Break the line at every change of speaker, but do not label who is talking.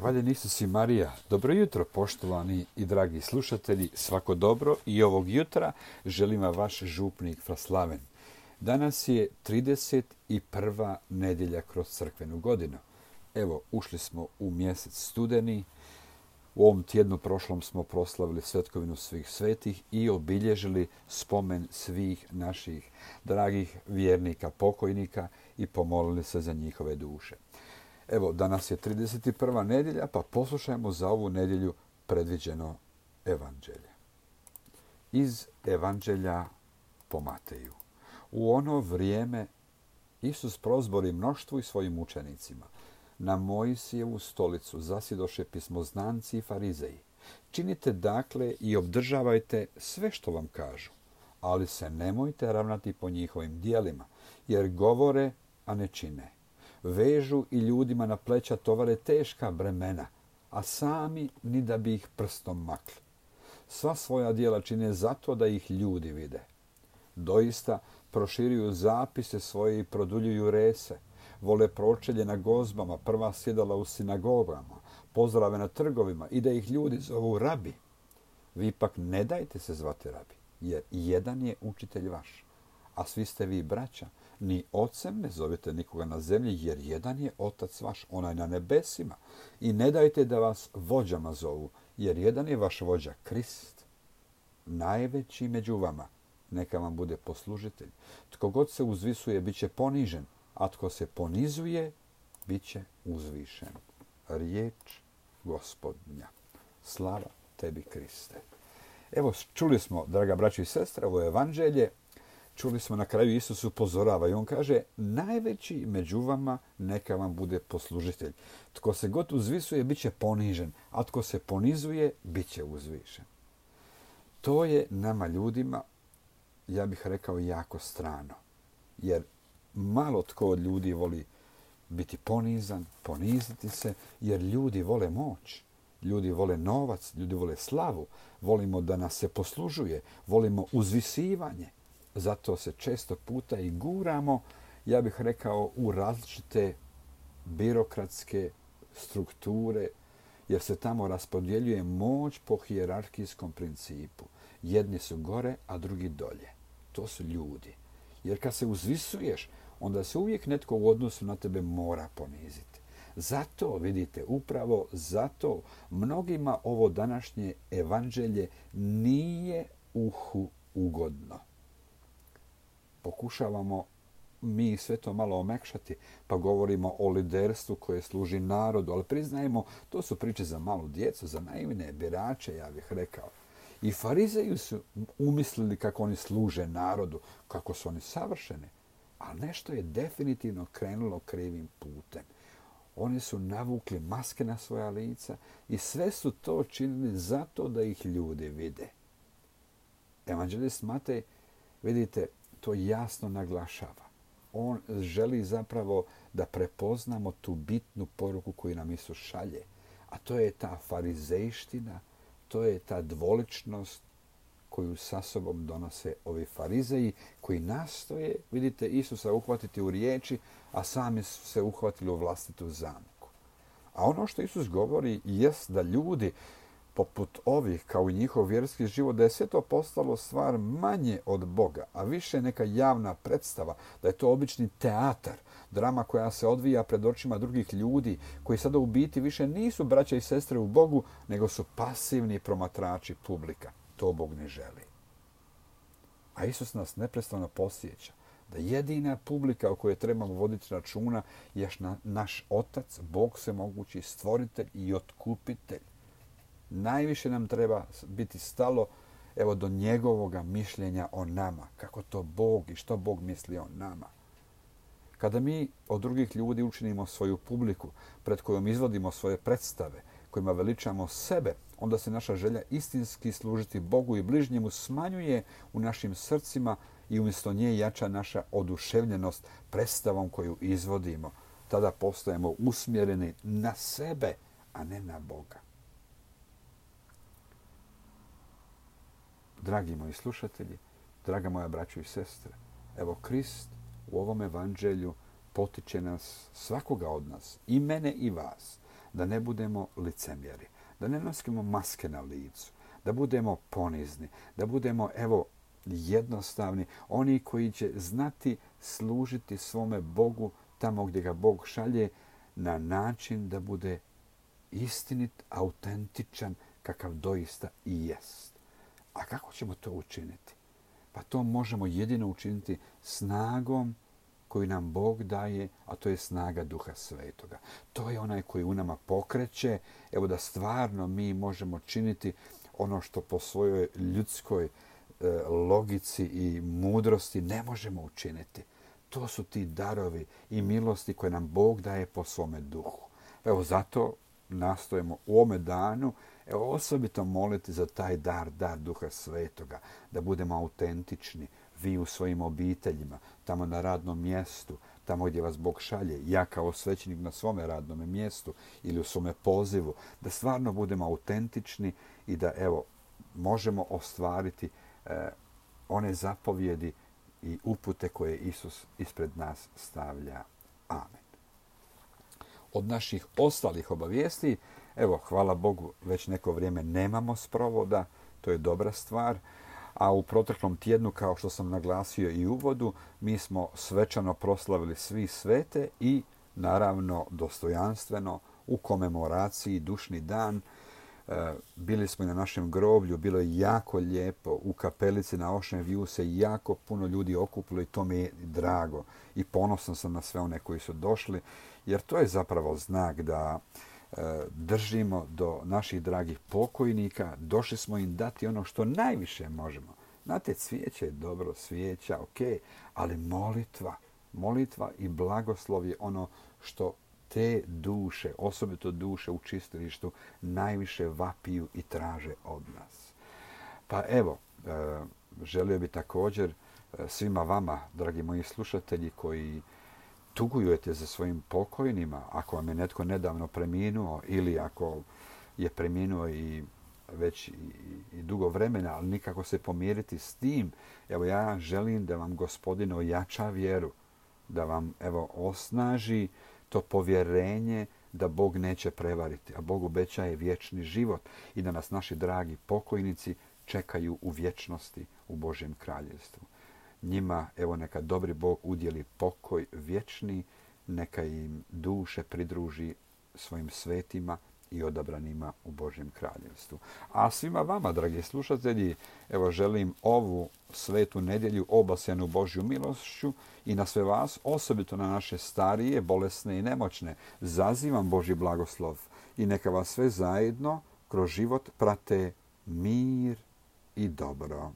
Hvaljen Isus i Marija. Dobro jutro, poštovani i dragi slušatelji. Svako dobro i ovog jutra želim vam vaš župnik Fraslaven. Danas je 31. nedjelja kroz crkvenu godinu. Evo, ušli smo u mjesec studeni. U ovom tjednu prošlom smo proslavili svetkovinu svih svetih i obilježili spomen svih naših dragih vjernika, pokojnika i pomolili se za njihove duše. Evo, danas je 31. nedjelja, pa poslušajmo za ovu nedjelju predviđeno evanđelje. Iz evanđelja po Mateju. U ono vrijeme Isus prozbori mnoštvu i svojim učenicima. Na Mojsijevu stolicu zasjedoše pismoznanci i farizeji. Činite dakle i obdržavajte sve što vam kažu, ali se nemojte ravnati po njihovim djelima, jer govore, a ne čine. Vežu i ljudima na pleća tovare teška bremena, a sami ni da bi ih prstom makli. Sva svoja djela čine zato da ih ljudi vide. Doista proširuju zapise svoje i produljuju rese. Vole pročelje na gozbama, prva sjedala u sinagogama, pozdrave na trgovima i da ih ljudi zovu rabi. Vi ipak ne dajte se zvati rabi, jer jedan je učitelj vaš, a svi ste vi braća. Ni ocem ne zovete nikoga na zemlji, jer jedan je otac vaš, onaj na nebesima. I ne dajte da vas vođama zovu, jer jedan je vaš vođa, Krist. Najveći među vama, neka vam bude poslužitelj. Tko god se uzvisuje, bit će ponižen, a tko se ponizuje, bit će uzvišen. Riječ Gospodnja. Slava tebi, Kriste. Evo, čuli smo, draga braćo i sestre, ovo evanđelje. Čuli smo na kraju Isus upozorava i on kaže najveći među vama neka vam bude poslužitelj. Tko se god uzvisuje bit će ponižen, a tko se ponizuje bit će uzvišen. To je nama ljudima, ja bih rekao, jako strano. Jer malo tko od ljudi voli biti ponizan, poniziti se, jer ljudi vole moć. Ljudi vole novac, ljudi vole slavu. Volimo da nas se poslužuje, volimo uzvisivanje. Zato se često puta i guramo, ja bih rekao, u različite birokratske strukture, jer se tamo raspodjeljuje moć po hijerarhijskom principu. Jedni su gore, a drugi dolje. To su ljudi. Jer kad se uzvisuješ, onda se uvijek netko u odnosu na tebe mora poniziti. Zato, vidite, upravo zato mnogima ovo današnje evanđelje nije uhu ugodno. Pokušavamo mi sve to malo omekšati, pa govorimo o liderstvu koje služi narodu, ali priznajemo, to su priče za malu djecu, za naivne birače, ja bih rekao. I farizeji su umislili kako oni služe narodu, kako su oni savršeni, ali nešto je definitivno krenulo krivim putem. Oni su navukli maske na svoja lica i sve su to činili zato da ih ljudi vide. Evanđelist Matej, vidite, to jasno naglašava. On želi zapravo da prepoznamo tu bitnu poruku koju nam Isus šalje. A to je ta farizejština, to je ta dvoličnost koju sa sobom donose ovi farizeji koji nastoje, vidite, Isusa uhvatiti u riječi, a sami su se uhvatili u vlastitu zamku. A ono što Isus govori jest da ljudi poput ovih, kao i njihov vjerski život, da je sve to postalo stvar manje od Boga, a više neka javna predstava, da je to obični teatar, drama koja se odvija pred očima drugih ljudi, koji sada u biti više nisu braća i sestre u Bogu, nego su pasivni promatrači publika. To Bog ne želi. A Isus nas neprestano podsjeća da jedina publika o kojoj trebamo voditi računa je naš Otac, Bog svemogući, stvoritelj i otkupitelj. Najviše nam treba biti stalo, evo, do njegovoga mišljenja o nama. Kako to Bog i što Bog misli o nama. Kada mi od drugih ljudi učinimo svoju publiku, pred kojom izvodimo svoje predstave, kojima veličamo sebe, onda se naša želja istinski služiti Bogu i bližnjemu smanjuje u našim srcima i umjesto nje jača naša oduševljenost predstavom koju izvodimo. Tada postajemo usmjereni na sebe, a ne na Boga. Dragi moji slušatelji, draga moja braćo i sestre, evo Krist u ovom evanđelju potiče nas, svakoga od nas, i mene i vas, da ne budemo licemjeri, da ne nosimo maske na licu, da budemo ponizni, da budemo, jednostavni, oni koji će znati služiti svome Bogu tamo gdje ga Bog šalje na način da bude istinit, autentičan, kakav doista i jest. A kako ćemo to učiniti? Pa to možemo jedino učiniti snagom koju nam Bog daje, a to je snaga Duha Svetoga. To je onaj koji u nama pokreće, da stvarno mi možemo činiti ono što po svojoj ljudskoj logici i mudrosti ne možemo učiniti. To su ti darovi i milosti koje nam Bog daje po svome duhu. Zato nastojimo u ovome danu osobito moliti za taj dar Duha Svetoga, da budemo autentični, vi u svojim obiteljima, tamo na radnom mjestu, tamo gdje vas Bog šalje, ja kao svećenik na svome radnom mjestu ili u svome pozivu, da stvarno budemo autentični i da možemo ostvariti one zapovjedi i upute koje Isus ispred nas stavlja. Amen. Od naših ostalih obavijesti, hvala Bogu, već neko vrijeme nemamo sprovoda, to je dobra stvar, a u proteklom tjednu, kao što sam naglasio i u uvodu, mi smo svečano proslavili svi svete i, naravno, dostojanstveno u komemoraciji Dušni dan. Bili smo i na našem groblju, bilo je jako lijepo, u kapelici na Ocean View se jako puno ljudi okupilo i to mi je drago. I ponosan sam na sve one koji su došli, jer to je zapravo znak da držimo do naših dragih pokojnika, došli smo im dati ono što najviše možemo. Znate, cvijeće je dobro, svijeća, ali molitva i blagoslov je ono što te duše, osobito duše u čistilištu, najviše vapiju i traže od nas. Pa želio bi također svima vama, dragi moji slušatelji, koji tugujete za svojim pokojnima, ako vam je netko nedavno preminuo ili ako je preminuo i već i dugo vremena, ali nikako se pomiriti s tim, ja želim da vam Gospodin ojača vjeru, da vam osnaži to povjerenje da Bog neće prevariti, a Bog obećaje vječni život i da nas naši dragi pokojnici čekaju u vječnosti u Božjem kraljevstvu. Njima, neka dobri Bog udjeli pokoj vječni, neka im duše pridruži svojim svetima i odabranima u Božjem kraljevstvu. A svima vama, dragi slušatelji, želim ovu svetu nedjelju obasjanu Božju milošću i na sve vas, osobito na naše starije, bolesne i nemoćne, zazivam Božji blagoslov i neka vas sve zajedno kroz život prate mir i dobro.